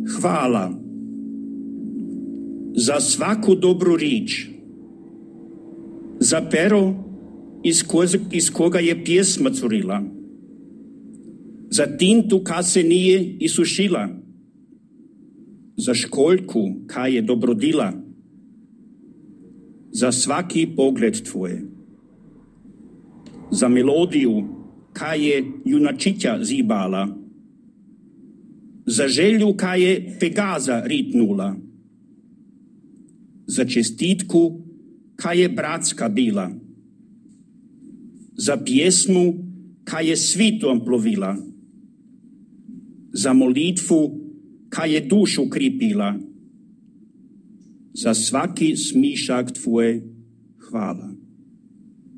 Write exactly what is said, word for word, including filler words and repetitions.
Hvala za svaku dobru rič, za pero iz, ko, iz koga je pjesma curila, za tintu ka se nije isušila, za školjku ka je dobrodila, za svaki pogled tvoj, za melodiju ka je junačića zibala, za želju ka je Pegaza ritnula, za čestitku ka je bratska bila, za pjesmu ka je svitom plovila, za molitvu ka je dušu kripila, za svaki smišak tvoj hvala.